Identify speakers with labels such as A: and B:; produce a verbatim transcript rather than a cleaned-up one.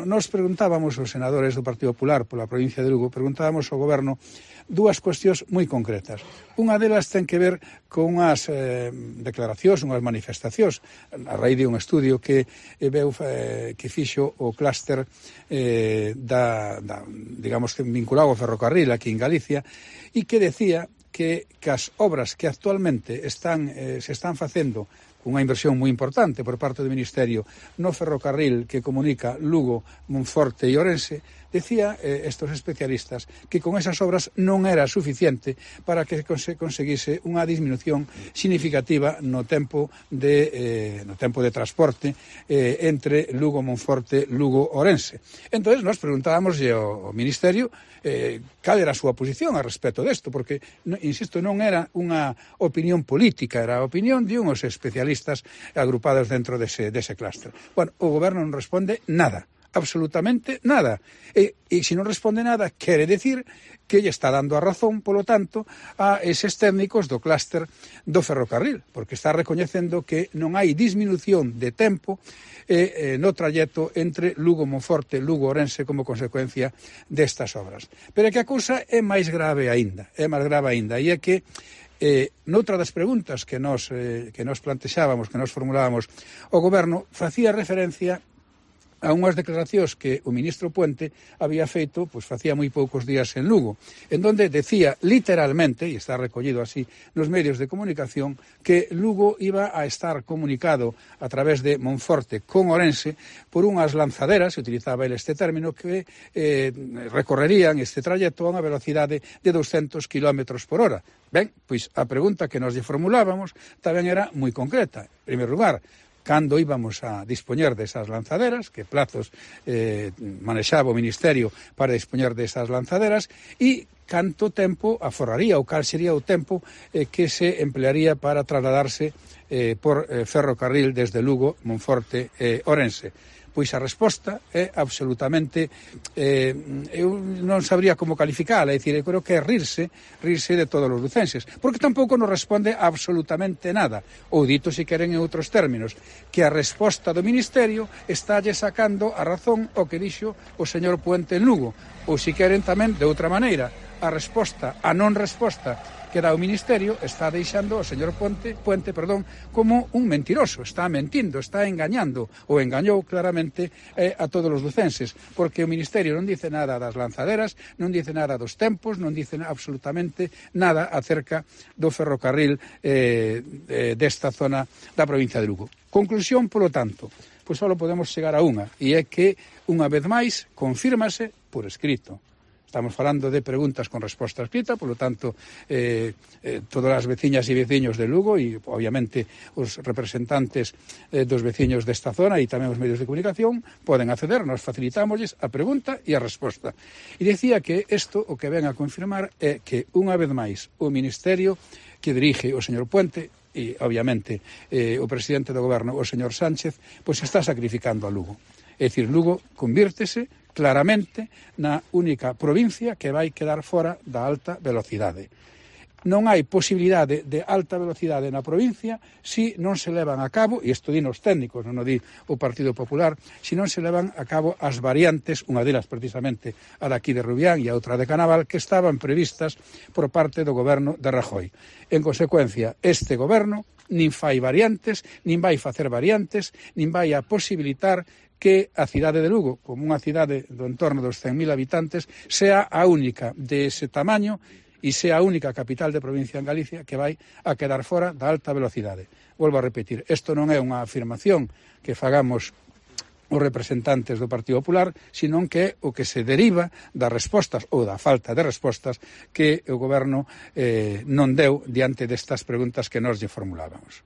A: Nos preguntábamos os senadores do Partido Popular pola provincia de Lugo, preguntábamos ao goberno dúas cuestións moi concretas. Unha delas ten que ver con unhas eh, declaracións, unhas manifestacións, a raíz de un estudio que eh, veu, eh, que fixo o clúster eh, da, da, digamos, vinculado ao ferrocarril aquí en Galicia, e que decía que, que as obras que actualmente están, eh, se están facendo unha inversión moi importante por parte do Ministerio no ferrocarril que comunica Lugo, Monforte e Ourense, decía eh, estos especialistas que con esas obras non era suficiente para que se conseguise unha disminución significativa no tempo de, eh, no tempo de transporte eh, entre Lugo, Monforte, Lugo, Ourense. Entón, nos preguntábamos ao, ao Ministerio eh, cal era a súa posición a respecto desto, porque, insisto, non era unha opinión política, era a opinión de uns especialistas agrupados dentro dese, dese clúster. Bueno, o goberno non responde nada, absolutamente nada. E, e se non responde nada, quere decir que lle está dando a razón, polo tanto, a eses técnicos do clúster do ferrocarril, porque está recoñecendo que non hai disminución de tempo eh, eh, no trayecto entre Lugo, Monforte, Lugo, Ourense como consecuencia destas obras. Pero é que a cousa é máis grave aínda, é máis grave aínda, e é que Eh, noutra das preguntas que nos, eh, que nos plantexábamos, que nos formulábamos, o goberno facía referencia a unhas declaracións que o ministro Puente había feito, pois facía moi poucos días en Lugo, en donde decía literalmente, e está recollido así nos medios de comunicación, que Lugo iba a estar comunicado a través de Monforte con Ourense por unhas lanzaderas, se utilizaba el este término, que eh, recorrerían este trayecto a unha velocidade de doscentos kilómetros por hora. Ben, pois a pregunta que nos lle formulábamos tamén era moi concreta. En primeiro lugar, cando íbamos a dispoñer desas lanzaderas, que plazos eh, manexaba o Ministerio para dispoñer desas lanzaderas, e canto tempo aforraría, ou cal sería o tempo eh, que se emplearía para trasladarse eh, por eh, ferrocarril desde Lugo, Monforte e eh, Ourense. Pois a resposta é absolutamente, eh, eu non sabría como calificala, é dicir, eu creo que é rirse, rirse de todos os lucenses, porque tampouco nos responde absolutamente nada, ou dito, se queren en outros términos, que a resposta do Ministerio estálle sacando a razón o que dixo o señor Puente en Lugo, ou se queren tamén de outra maneira, a resposta, a non resposta que dá o Ministerio está deixando o señor Puente, Puente perdón, como un mentiroso, está mentindo, está engañando, ou engañou claramente eh, a todos os lucenses, porque o Ministerio non dice nada das lanzaderas, non dice nada dos tempos, non dice absolutamente nada acerca do ferrocarril eh, desta zona da provincia de Lugo. Conclusión, polo tanto, pois só podemos chegar a unha, e é que, unha vez máis, confírmase por escrito. Estamos falando de preguntas con resposta escrita, polo tanto, eh, eh, todas as veciñas e veciños de Lugo e, obviamente, os representantes eh, dos veciños desta zona e tamén os medios de comunicación poden acceder, nos facilitámosles a pregunta e a resposta. E dicía que isto o que ven a confirmar é que, unha vez máis, o Ministerio que dirige o señor Puente e, obviamente, eh, o presidente do goberno, o señor Sánchez, pois está sacrificando a Lugo. É dicir, Lugo convírtese claramente na única provincia que vai quedar fora da alta velocidade. Non hai posibilidade de alta velocidade na provincia se non se levan a cabo, e isto din os técnicos, non o di o Partido Popular, se non se levan a cabo as variantes, unha delas precisamente a daqui de Rubián e a outra de Canaval, que estaban previstas por parte do goberno de Rajoy. En consecuencia, este goberno nin fai variantes, nin vai facer variantes, nin vai a posibilitar que a cidade de Lugo, como unha cidade do entorno dos cen mil habitantes, sea a única de ese tamaño e sea a única capital de provincia en Galicia que vai a quedar fora da alta velocidade. Volvo a repetir, isto non é unha afirmación que fagamos os representantes do Partido Popular, senón que é o que se deriva das respostas ou da falta de respostas que o goberno eh, non deu diante destas preguntas que nós lle formulábamos.